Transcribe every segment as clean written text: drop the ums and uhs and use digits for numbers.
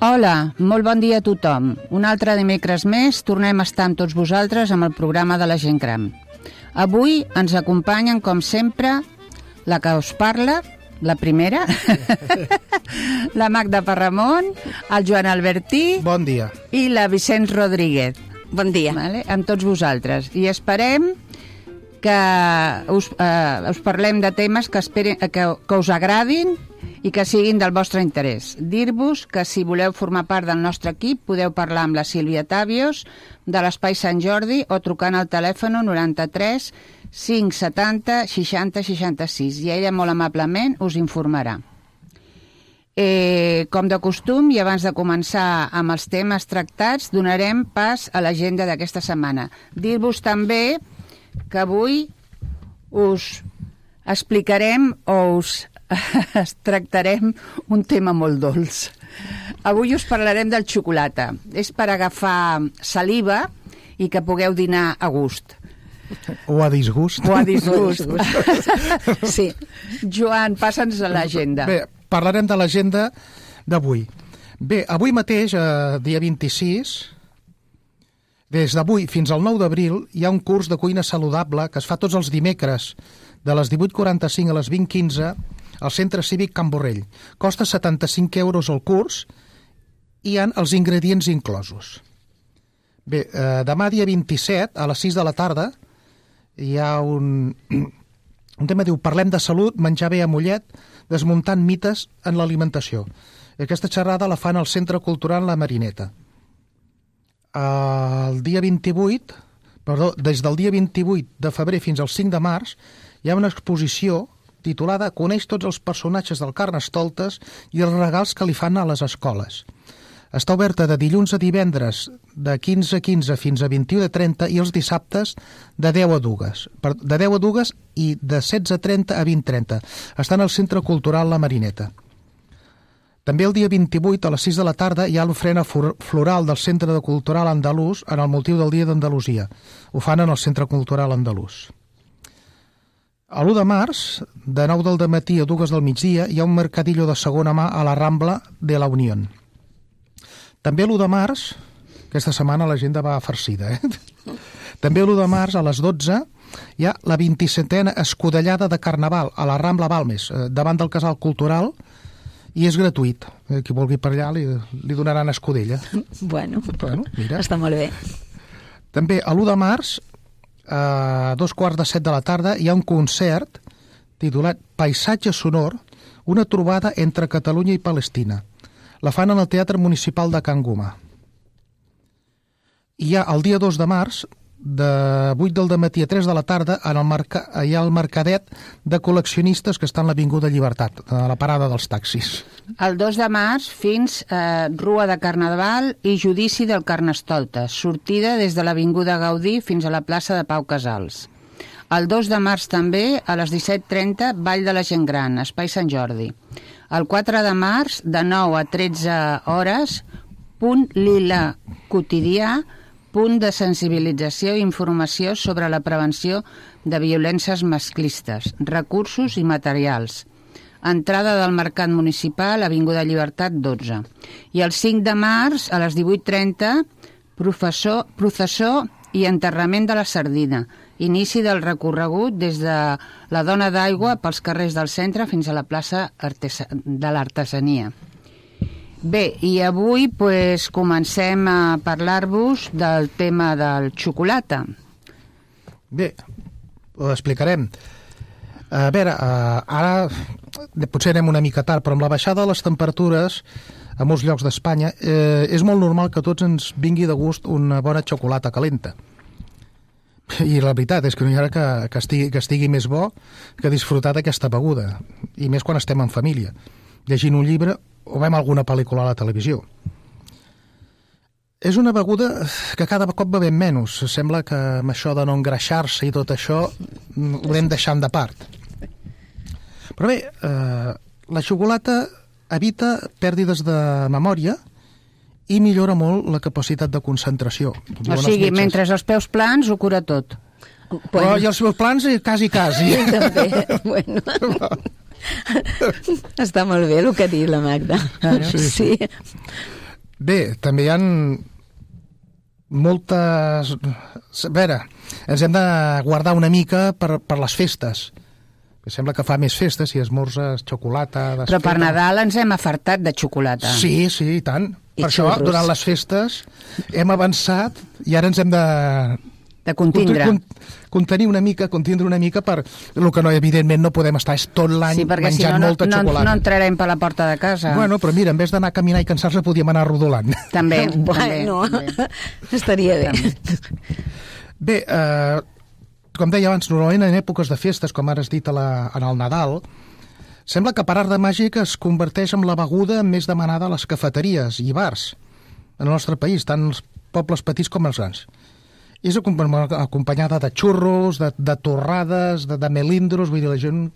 Hola, molt bon dia a tothom. Un altre dimecres més tornem a estar amb tots vosaltres amb el programa de la gent gran. Avui ens acompanyen, com sempre, la que us parla, la primera, la Magda Parramon, el Joan Albertí... Bon dia. I la Vicenç Rodríguez. Bon dia. Vale? Amb tots vosaltres. I esperem que us parlem de temes que us agradin i que siguin del vostre interès. Dir-vos que si voleu formar part del nostre equip podeu parlar amb la Sílvia Tàvios de l'Espai Sant Jordi o trucant al telèfon 93 570 60 66 i ella molt amablement us informarà. Com de costum i abans de començar amb els temes tractats donarem pas a l'agenda d'aquesta setmana. Dir-vos també que avui us explicarem o us tractarem un tema molt dolç. Avui us parlarem del xocolata. És per agafar saliva i que pugueu dinar a gust. O a disgust. O a disgust. Sí. Joan, passa'ns a l'agenda. Bé, parlarem de l'agenda d'avui. Bé, avui mateix, dia 26, des d'avui fins al 9 d'abril, hi ha un curs de cuina saludable que es fa tots els dimecres de les 18:45 a les 20:15 al Centre Cívic Can Borrell. Costa 75 euros el curs i hi ha els ingredients inclosos. Bé, demà dia 27 a les 6 de la tarda hi ha un tema, diu, parlem de salut, menjar bé a Mollet, desmuntant mites en l'alimentació. Aquesta xerrada la fan al Centre Cultural La Marineta. El dia 28, des del dia 28 de febrer fins al 5 de març, hi ha una exposició titulada Coneix tots els personatges del Carnestoltes i els regals que li fan a les escoles. Està oberta de dilluns a divendres de 15:15 fins a 21:30 i els dissabtes de 10 a 2. De 10 a 2 i de 16:30 a 20:30. Està al Centre Cultural La Marineta. També el dia 28 a les 6 de la tarda hi ha l'ofrena floral del Centre Cultural Andalús en el motiu del Dia d'Andalusia. Ho fan en el Centre Cultural Andalús. A l'1 de març, de 9 del dematí a 2 del migdia, hi ha un mercadillo de segona mà a la Rambla de la Unión. També l'1 de març, aquesta setmana l'agenda va farcida, També l'1 de març a les 12 hi ha la 27a escudellada de Carnaval a la Rambla Balmes, davant del Casal Cultural, i és gratuït. Qui vulgui per allà li donaran escudella. Bueno, mira. Està molt bé. També a l'1 de març, a 2:45 de la tarda, hi ha un concert titulat Paisatge sonor, una trobada entre Catalunya i Palestina. La fan en el Teatre Municipal de Can Guma. I hi ha el dia 2 de març, de 8 del dematí a 3 de la tarda, hi ha el mercadet de col·leccionistes que està en l'Avinguda Llibertat, a la parada dels taxis. El 2 de març fins a Rua de Carnaval i Judici del Carnestoltes, sortida des de l'Avinguda Gaudí fins a la plaça de Pau Casals. El 2 de març també, a les 17:30, Ball de la Gent Gran, Espai Sant Jordi. El 4 de març, de 9 a 13 hores, punt lila quotidià, punt de sensibilització i informació sobre la prevenció de violències masclistes, recursos i materials. Entrada del Mercat Municipal, Avinguda Llibertat 12. I el 5 de març, a les 18:30, processó i enterrament de la sardina. Inici del recorregut des de la Dona d'Aigua pels carrers del centre fins a la plaça de l'Artesania. Bé, i avui comencem a parlar-vos del tema del xocolata. Bé, ho explicarem. A veure, ara potser anem una mica tard, però amb la baixada de les temperatures a molts llocs d'Espanya és molt normal que a tots ens vingui de gust una bona xocolata calenta. I la veritat és que no hi ha que estigui més bo que disfrutar d'aquesta beguda, i més quan estem en família, llegint un llibre o veiem alguna pel·lícula a la televisió. És una beguda que cada cop bevem menys. Sembla que amb això de no engreixar-se i tot això ho anem deixant de part. Però bé, la xocolata evita pèrdues de memòria i millora molt la capacitat de concentració. O sigui, mentre els peus plans ho cura tot. Però i els meus plans quasi. També, bueno. Està molt bé el que ha dit la Magda. Sí. Bé, també hi ha moltes... A veure, ens hem de guardar una mica per les festes. Sembla que fa més festes si esmorzes xocolata... Però per Nadal ens hem afartat de xocolata. Sí, i tant. Per això, durant les festes, hem avançat i ara ens hem de contindre una mica per el que no, evidentment no podem estar tot l'any menjant molta xocolata. No entrarem per la porta de casa. Bueno, però mira, en vez d'anar a caminar i cansar-se podíem anar rodolant. També. Estaria bé. Bé, com deia abans, normalment en èpoques de festes, com ara has dit en el Nadal, sembla que per art de màgic es converteix en la beguda més demanada a les cafeteries i bars en el nostre país, tant els pobles petits com els grans. És acompanyada de xurros, de torrades, de melindros, vull dir, la gent...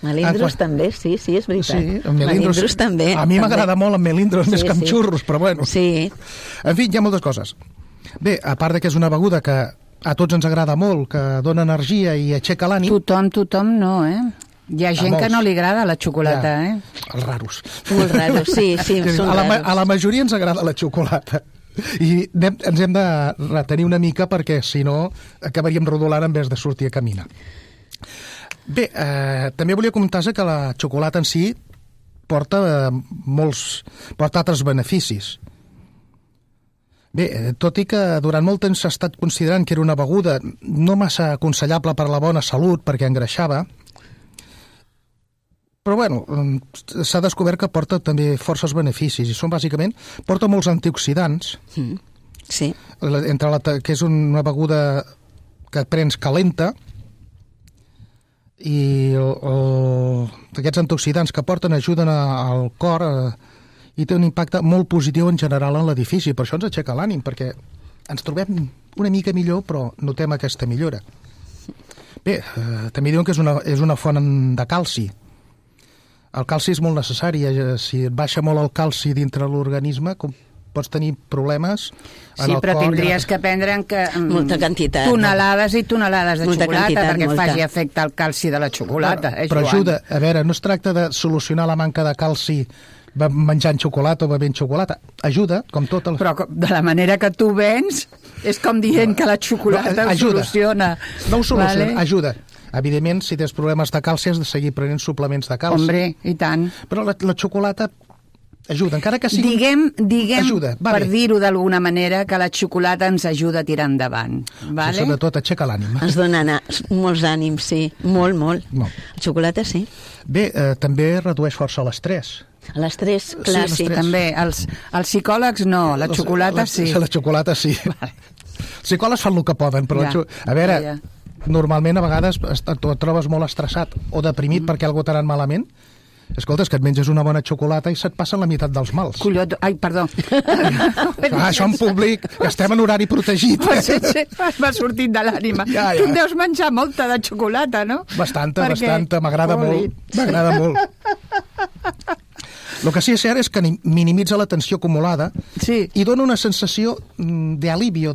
Melindros també, sí, és veritat. Sí, melindros també. A mi m'agrada molt amb melindros més que amb xurros, però bueno. Sí. En fi, hi ha moltes coses. Bé, a part que és una beguda que a tots ens agrada molt, que dona energia i aixeca l'ànim... Tothom no, Hi ha gent que no li agrada la xocolata, Els raros. Molt raros, sí, són raros. A la majoria ens agrada la xocolata. I ens hem de retenir una mica perquè, si no, acabaríem rodolant en vez de sortir a caminar. Bé, també volia comentar que la xocolata en si porta altres beneficis. Bé, tot i que durant molt temps s'ha estat considerant que era una beguda no massa aconsellable per a la bona salut perquè engreixava, però bueno, s'ha descobert que porta també forces beneficis i són bàsicament, porta molts antioxidants, sí. que és una beguda que prens calenta i aquests antioxidants que porten ajuden al cor i té un impacte molt positiu en general en l'edifici, per això ens aixeca l'ànim, perquè ens trobem una mica millor però notem aquesta millora. Bé, també diuen que és una font de calci. El calci és molt necessari. Si et baixa molt el calci dintre l'organisme, pots tenir problemes en el cor. Sí, però tindries que prendre molta quantitat, tonelades i tonelades de xocolata perquè faci efecte el calci de la xocolata. Però ajuda. A veure, no es tracta de solucionar la manca de calci menjant xocolata o bevent xocolata. Ajuda, com tot el... Però de la manera que tu vens, és com dient que la xocolata ho soluciona. No ho soluciona, ajuda. Evidentment, si tens problemes de calci has de seguir prenent suplements de calci. Hombre, i tant. Però la xocolata ajuda, encara que sigui... Diguem ajuda, per dir-ho d'alguna manera, que la xocolata ens ajuda a tirar endavant. Vale? Sí, sobretot aixeca l'ànim. Ens dona molts ànims, sí. Molt. La xocolata, sí. Bé, també redueix força l'estrès. L'estrès, clar, sí. També. Els psicòlegs no, la xocolata sí. La xocolata sí. Vale. Els psicòlegs fan el que poden, però a veure... Normalment, a vegades, et trobes molt estressat o deprimit perquè algú t'ha anat malament. Escolta, és que et menges una bona xocolata i se't passen la meitat dels mals. Colló, ai, perdó. Això en públic, estem en horari protegit. Sí, m'ha sortit de l'ànima. Tu en deus menjar molta de xocolata, no? Bastanta, m'agrada molt. El que sí és cert és que minimitza la tensió acumulada i dona una sensació d'alivio,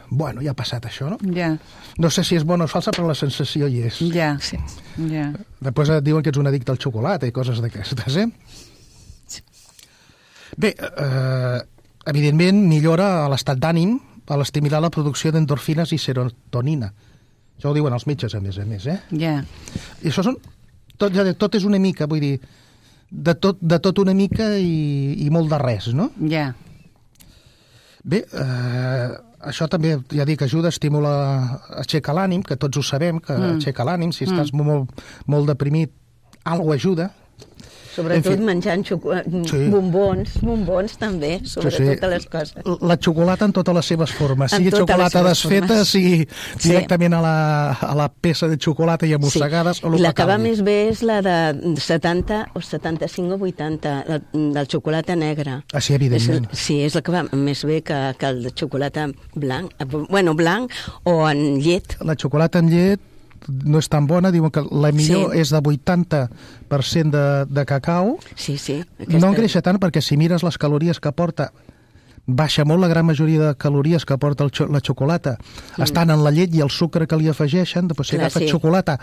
bueno, ja ha passat això, no? Ja. No sé si és bona o falsa, però la sensació hi és. Ja. Després et diuen que ets un addicte al xocolata i coses d'aquestes, Bé, evidentment millora l'estat d'ànim a l'estimular la producció d'endorfines i serotonina. Això ho diuen els metges, a més, Ja. I això són... Tot és una mica, vull dir, de tot una mica i molt de res, no? Ja. Bé, això també, ja dic, ajuda, estimula, aixeca l'ànim, que tots ho sabem, que aixeca l'ànim. Si estàs molt deprimit, alguna ajuda. Sobretot menjant bombons també, sobretot les coses. La xocolata en totes les seves formes, sigui xocolata desfeta, sigui directament a la peça de xocolata i amossegades. I la que va més bé és la de 70 o 75 o 80, del xocolata negre. Ah, sí, evidentment. Sí, és la que va més bé que el de xocolata blanc, blanc o en llet. La xocolata en llet no és tan bona, diuen que la millor és de 80% de cacau. Sí. No engreixa tant perquè si mires les calories que porta, baixa molt. La gran majoria de calories que porta la xocolata estan en la llet i el sucre que li afegeixen. Després si agafes xocolata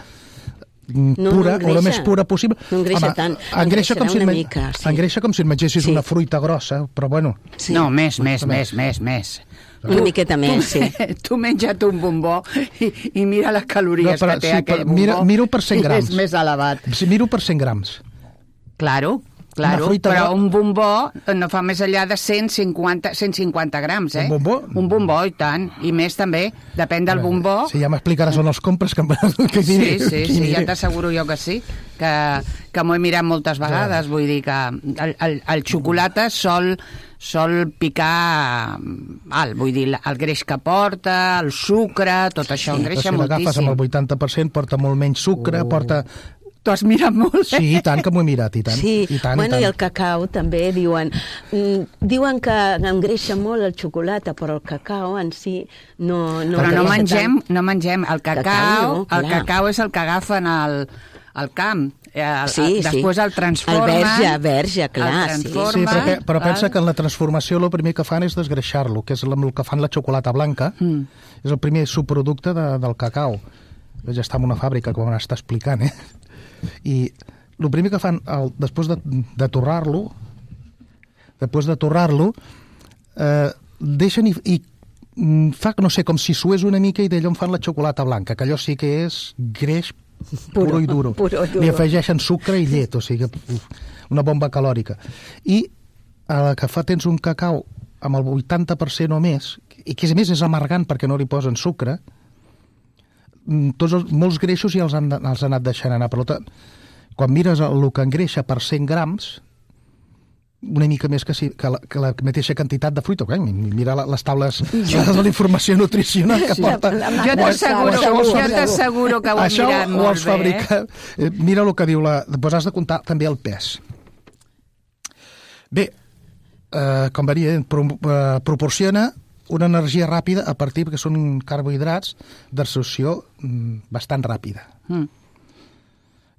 pura, o la més pura possible. No engreixa tant. Engreixa com si una mica, sí. Engreixa com si et mengessis una fruita grossa, però bueno. Sí. No, més. Una miqueta més, sí. Tu menja't un bombó i mira les calories que té aquell bombó. Miro per 100 grams. És més elevat. Miro per 100 grams. Claro, però un bombó no fa més enllà de 150 grams, eh? Un bombó? Un bombó, i tant. I més també, depèn del bombó. Sí, ja m'explicaràs on els compres. Sí, ja t'asseguro jo que sí, que m'ho he mirat moltes vegades. Vull dir que el xocolata sol picar alt, vull dir, el greix que porta, el sucre, tot això engreixa moltíssim. Si l'agafes amb el 80%, porta molt menys sucre, porta... T'ho has mirat molt, eh? Sí, i tant que m'ho he mirat, i tant. Sí, i tant. I el cacau també diuen que engreixa molt el xocolata, però el cacau en si no però no mengem el cacau. El cacau és el que agafen al camp. Després el transformen. El verge, clar. Sí, però pensa que en la transformació el primer que fan és desgreixar-lo, que és el que fan la xocolata blanca. És el primer subproducte del cacau. Ja està en una fàbrica, com m'està explicant, eh? I el primer que fan després de torrar-lo, deixen i fa, no sé, com si sués una mica i d'allò en fan la xocolata blanca, que allò sí que és greix puro i duro. Li afegeixen sucre i llet, o sigui, una bomba calòrica. I a la que tens un cacau amb el 80% o més, i que a més és amargant perquè no li posen sucre, molts greixos ja els han anat deixant anar. Per tant, quan mires el que engreixa per 100 grams, una mica més que la mateixa quantitat de fruita. Mira les taules de la informació nutricional que porta. Jo t'asseguro que ho he mirat molt bé. Mira el que diu Doncs has de comptar també el pes. Bé, com varia, proporciona una energia ràpida a partir que són carbohidrats d'absorció bastant ràpida.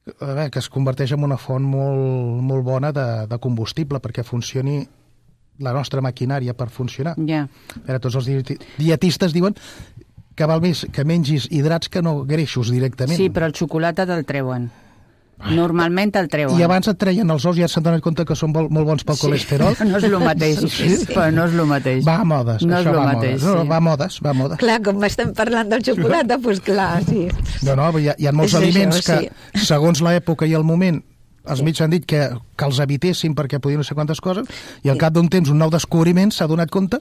Que es converteix en una font molt bona de combustible perquè funcioni la nostra maquinària per funcionar. Tots els dietistes diuen que val més que mengis hidrats que no greixos directament. Sí, però el xocolata te'l treuen. Normalment el treuen. I abans et treien els ous i ja s'han donat compte que són molt bons pel colesterol. No és el mateix, però no és el mateix. Va a modes, no això va a modes. Va a modes. Clar, com estem parlant del xocolata, doncs clar, sí. No, hi ha molts aliments que, segons l'època i el moment, els mitjans han dit que els evitessin perquè podien no sé quantes coses, i al cap d'un temps un nou descobriment s'ha donat compte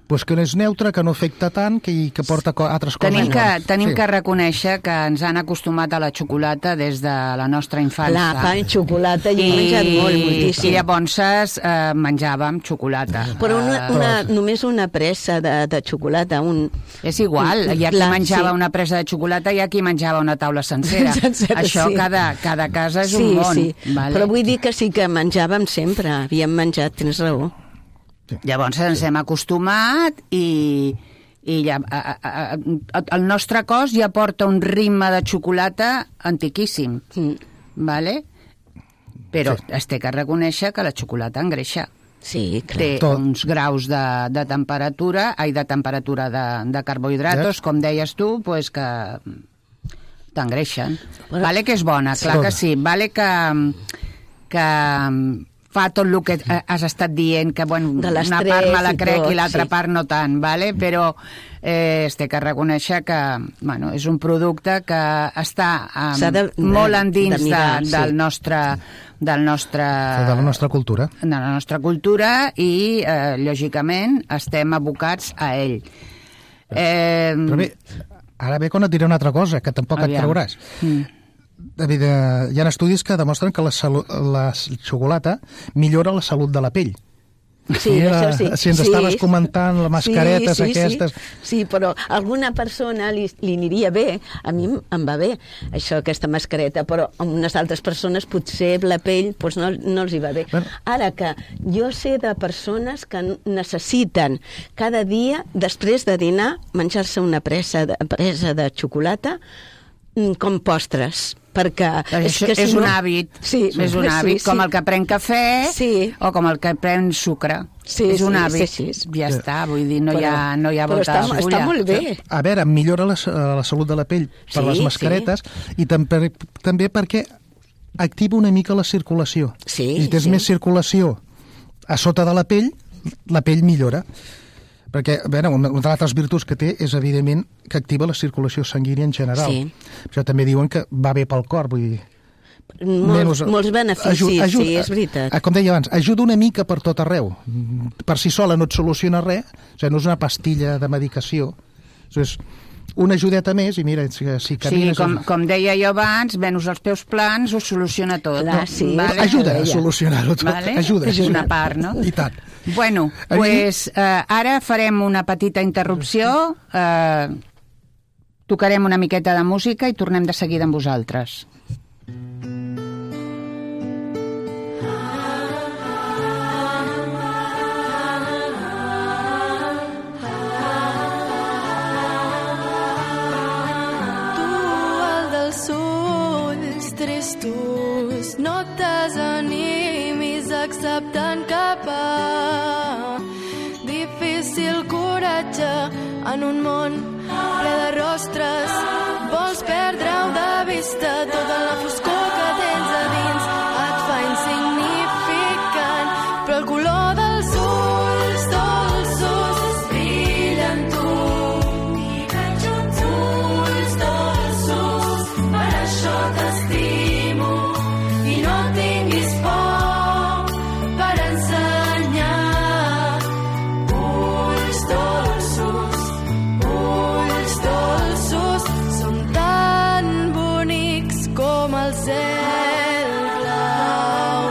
que no és neutre, que no afecta tant, que porta altres coses. Tenim que reconèixer que ens han acostumat a la xocolata des de la nostra infància. Clar, pa i xocolata, jo he menjat moltíssim. I llavors menjàvem xocolata. Però només una pressa de xocolata. És igual, hi ha qui menjava una pressa de xocolata i hi ha qui menjava una taula sencera. Això cada casa és un món. Però vull dir que sí que menjàvem sempre, havíem menjat, tens raó. Llavors ens hem acostumat i el nostre cos ja porta un ritme de xocolata antiquíssim, vale? Però es té que reconèixer que la xocolata engreixa. Sí, clar. Té uns graus de temperatura, de carbohidratos, com deies tu, que t'engreixen. Vale que és bona, clar que sí. Vale que fa tot el que has estat dient, que una part me la crec i l'altra part no tant, vale? Però es té que reconèixer que és un producte que està molt endins de la nostra cultura. De la nostra cultura i, lògicament, estem abocats a ell. Però bé, ara ve quan et diré una altra cosa, que tampoc et trauràs. David, hi ha estudis que demostren que la xocolata millora la salut de la pell. Sí, això sí. Si ens estaves comentant les mascaretes aquestes... Sí, però a alguna persona li aniria bé, a mi em va bé, aquesta mascareta, però a unes altres persones potser la pell no els hi va bé. Ara que jo sé de persones que necessiten cada dia, després de dinar, menjar-se una presa de xocolata com postres, perquè... És un hàbit, és un hàbit, com el que pren cafè o com el que pren sucre. És un hàbit, ja està, vull dir, no hi ha volta de fulla. Està molt bé. A veure, millora la salut de la pell per les mascaretes i també perquè activa una mica la circulació. Si tens més circulació a sota de la pell millora. Perquè, a veure, una de les altres virtuts que té és, evidentment, que activa la circulació sanguínia en general. Això també diuen que va bé pel cor, vull dir... Molts beneficis, sí, és veritat. Com deia abans, ajuda una mica per tot arreu. Per si sola no et soluciona res, o sigui, no és una pastilla de medicació, és una ajudeta més i mira, si camines... Sí, com deia jo abans, venus els peus plans ho soluciona tot. Clar, sí. Ajuda a solucionar-ho tot. Ajuda. És una part, no? I tant. Bueno, doncs ara farem una petita interrupció, tocarem una miqueta de música i tornem de seguida amb vosaltres. Tristos, no et desanimis acceptant cap difícil coratge en un món ple de rostres. Vols perdre-ho de vista, tota la foscor que tens a dins et fa insignificant, però el color dels ulls dolços brilla en tu. Uns ulls dolços, per això t'estimo. I no tinguis por per ensenyar. Ulls dolços, són tan bonics com el cel blau.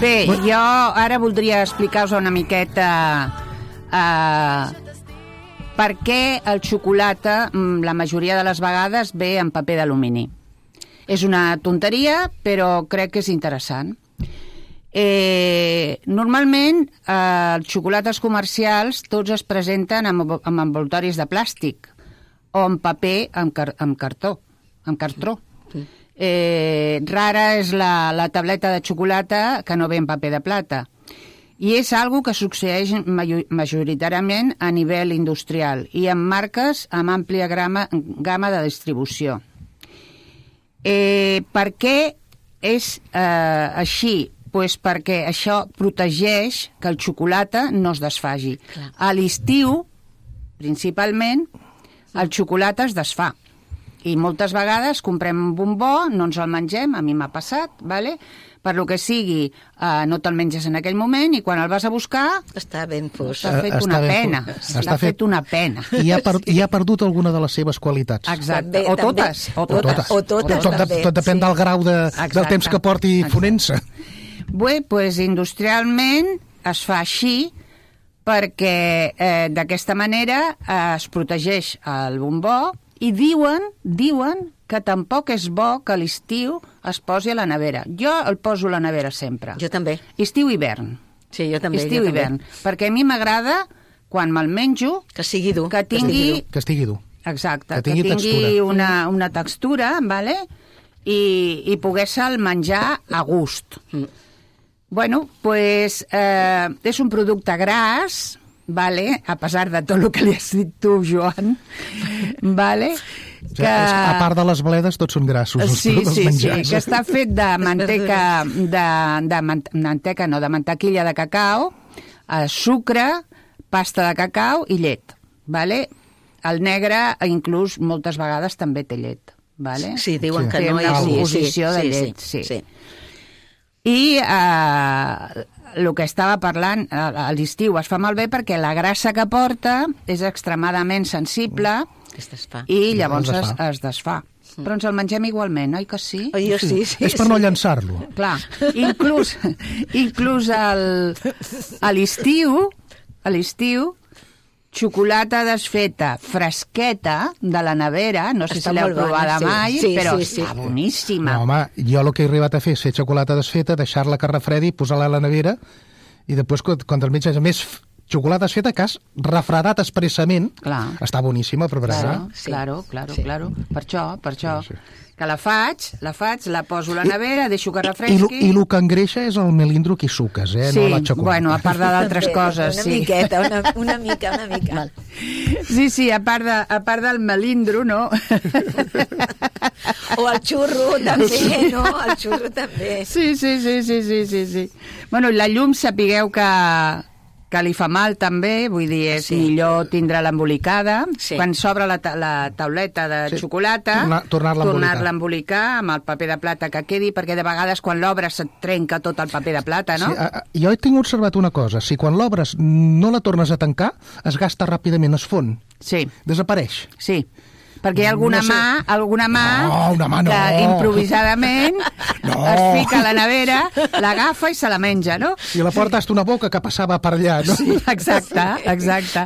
Bé, jo ara voldria explicar-vos una miqueta per què el xocolata la majoria de les vegades ve en paper d'alumini. És una tonteria, però crec que és interessant. Normalment els xocolates comercials tots es presenten amb envoltoris de plàstic o en paper amb cartró. Rara és la tableta de xocolata que no ve en paper de plata. I és algo que succeeix majoritàriament a nivell industrial i en marques amb àmplia gamma de distribució. Per què és així? Pues perquè això protegeix que el xocolata no es desfagi. A l'estiu, principalment, el xocolata es desfà. I moltes vegades comprem un bombó, no ens el mengem, a mi m'ha passat, ¿vale? Per lo que sigui, no te'l menges en aquell moment i quan el vas a buscar... Està ben fos. S'ha fet una pena. S'ha fet una pena. I ha perdut alguna de les seves qualitats. Exacte. O totes. Tot depèn del grau del temps que porti fonent-se. Bé, doncs industrialment es fa així perquè d'aquesta manera es protegeix el bombó i diuen que tampoc és bo que a l'estiu es posi a la nevera. Jo el poso a la nevera sempre. Jo també. Estiu-hivern. Sí, jo també. Estiu-hivern. Perquè a mi m'agrada, quan me'l menjo... Que sigui dur. Que tingui... Que estigui dur. Exacte. Que tingui una textura, ¿vale? I pogués-se'l menjar a gust. Bueno, pues és un producte gras, ¿vale? A pesar de tot el que li has dit tu, Joan, ¿vale? Que... A part de les bledes, tots són grassos. Sí, que està fet de manteca, de mantequilla de cacau, sucre, pasta de cacau i llet, ¿vale? El negre, inclús, moltes vegades també té llet, ¿vale? Sí, diuen que no hi ha composició de llet, sí. I el que estava parlant, a l'estiu es fa malbé perquè la grassa que porta és extremadament sensible i llavors es desfà. Però ens el mengem igualment, oi que sí? Sí. És per no llançar-lo. Clar, inclús a l'estiu, xocolata desfeta, fresqueta, de la nevera, no sé si l'heu provada mai, però està boníssima. No, home, jo el que he arribat a fer és fer xocolata desfeta, deixar-la que refredi, posar-la a la nevera, i després, quan el menges més xocolates feta que has refredat expressament. Clar. Està boníssima per berenar. Claro. Per això. Sí. Que la faig, la poso a la nevera, deixo que refresqui... I el que engreixa és el melindro que hi suques, sí, no la xocolata. Bueno, a part d'altres coses, una sí. Miqueta, una mica. Sí, a part del melindro, no? O el xurro, també, no? El xurro també. Sí. Bueno, i la llum sapigueu que li fa mal també, vull dir, és millor tindre l'embolicada. Sí. Quan s'obre la tauleta de xocolata, tornar-la a embolicar amb el paper de plata que quedi, perquè de vegades quan l'obres se't trenca tot el paper de plata, no? Sí, jo he tingut observat una cosa, si quan l'obres no la tornes a tancar, es gasta ràpidament, es fon. Sí. Desapareix. Sí. Perquè hi ha alguna mà que improvisadament es fica a la nevera, l'agafa i se la menja, no? I la porta hasta una boca que passava per allà, no? Sí, exacte.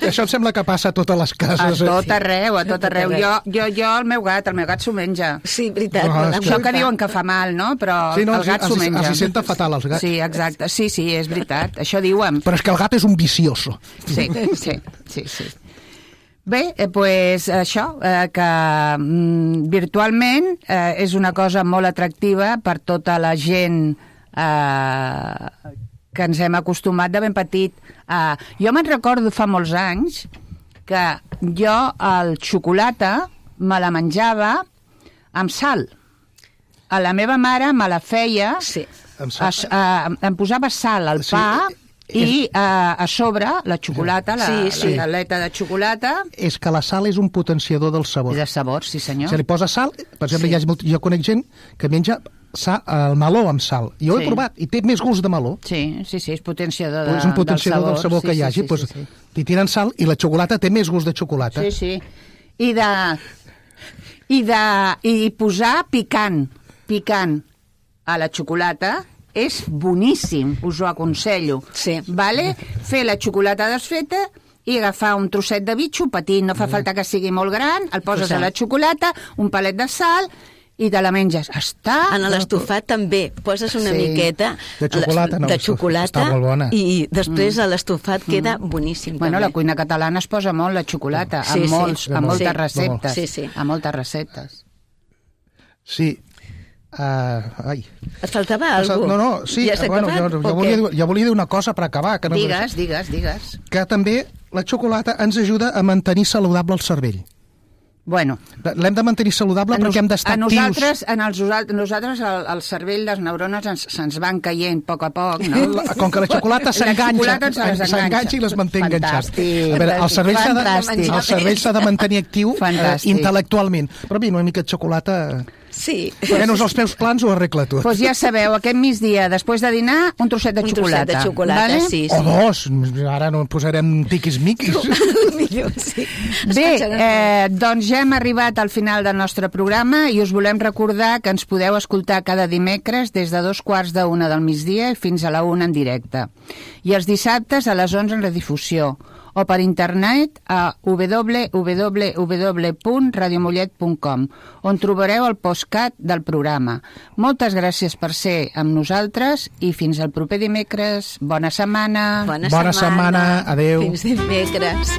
Això em sembla que passa a totes les cases. A tot arreu. Jo, el meu gat s'ho menja. Sí, veritat. Això que diuen que fa mal, no? Però el gat s'ho menja. Els senta fatal, els gats. Sí, exacte. Sí, és veritat. Això diuen. Però és que el gat és un vicioso. Sí. Bé, doncs això, que virtualment és una cosa molt atractiva per tota la gent que ens hem acostumat de ben petit. Jo me'n recordo fa molts anys que jo el xocolata me la menjava amb sal. A la meva mare me la feia, em posava sal al pa... I a sobre la xocolata, la galeta de xocolata... És que la sal és un potenciador del sabor. I de sabor, sí senyor. Si li posa sal, per exemple, jo conec gent que menja el meló amb sal. Jo ho he provat i té més gust de meló. Sí, és potenciador del sabor. És un potenciador del sabor que hi hagi. T'hi tiren sal i la xocolata té més gust de xocolata. Sí. I posar picant a la xocolata... és boníssim, us ho aconsello. Sí. Vale? Fer la xocolata desfeta i agafar un trosset de bitxo petit, no fa falta que sigui molt gran, el poses a la xocolata, un palet de sal i te la menges. En l'estofat també poses una miqueta de xocolata, està molt bona. I després a l'estofat queda boníssim. Bueno, també. la cuina catalana es posa molt la xocolata, a moltes receptes. A moltes receptes. Sí. Et faltava alguna cosa? No, sí, jo volia dir una cosa per acabar. Que no Digues. Que també la xocolata ens ajuda a mantenir saludable el cervell. Bueno. L'hem de mantenir saludable perquè hem d'estar actius. Nosaltres el cervell, les neurones se'ns van caient a poc, no? Com que la xocolata s'enganxa i les manté enganxats. A veure, el cervell s'ha de mantenir actiu intel·lectualment. Però mira, una mica de xocolata... Sí. Posem-nos els peus plans ho arregla tot. Doncs ja sabeu, aquest migdia, després de dinar, un trosset de xocolata. Un trosset de xocolata, vale? Sí. O dos, ara no posarem tiquis-miquis. Millor, sí. Bé, doncs ja hem arribat al final del nostre programa i us volem recordar que ens podeu escoltar cada dimecres des de 2:45 del migdia fins a la 1 en directe. I els dissabtes a les 11 en redifusió. O per internet a www.radiomollet.com, on trobareu el postcat del programa. Moltes gràcies per ser amb nosaltres i fins al proper dimecres. Bona setmana. Bona setmana. Adéu. Fins dimecres.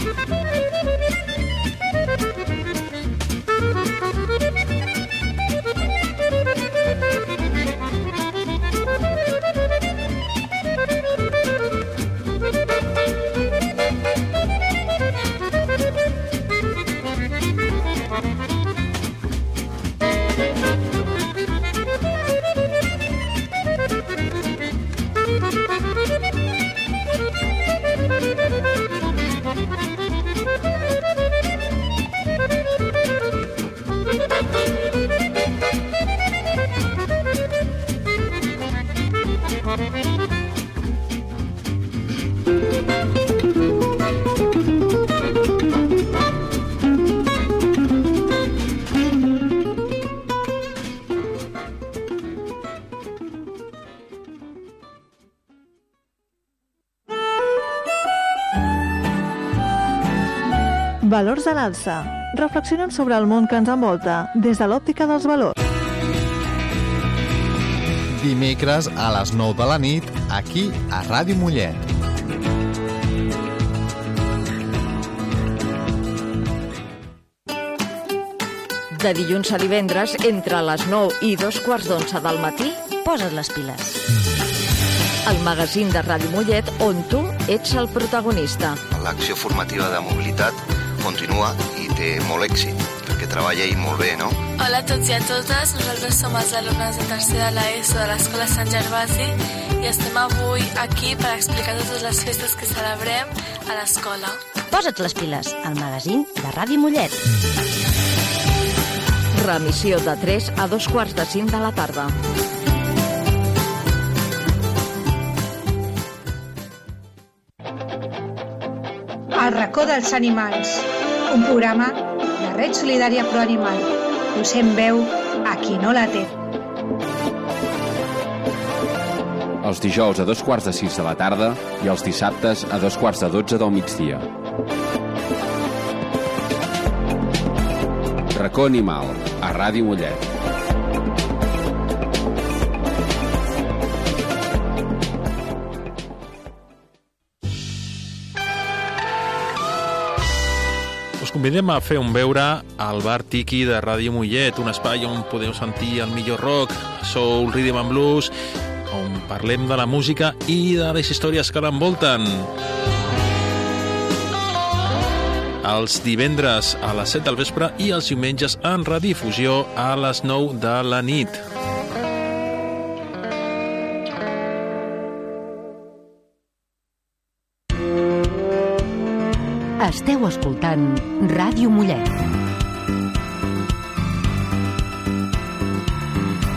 Valors a l'alça. Reflexionem sobre el món que ens envolta des de l'òptica dels valors. Dimecres a les 9 de la nit, aquí a Ràdio Mollet. De dilluns a divendres, entre les 9 i 2:15 del matí, posa't les piles. El magazín de Ràdio Mollet on tu ets el protagonista. L'acció formativa de mobilitat continua i té molt èxit, perquè treballa i molt bé, no? Hola a tots i a totes, nosaltres som els alumnes de tercer de l'ESO de l'Escola Sant Gervasi i estem avui aquí per explicar totes les festes que celebrem a l'escola. Posa't les piles, el magazín de Ràdio Mollet. Remissió de 3 a 2:45 de la tarda. El racó dels animals, un programa de Red Solidària Pro Animal. Posem veu a qui no la té. Els dijous a 2:15 de la tarda i els dissabtes a 2:45 del migdia. Racó Animal, a Ràdio Mollet. Us convidem a fer un beure al bar Tiki de Ràdio Mollet, un espai on podeu sentir el millor rock, soul, rhythm and blues, on parlem de la música i de les històries que l'envolten. Els divendres a les 7 del vespre i els diumenges en redifusió a les 9 de la nit. Esteu escoltant Ràdio Mollet.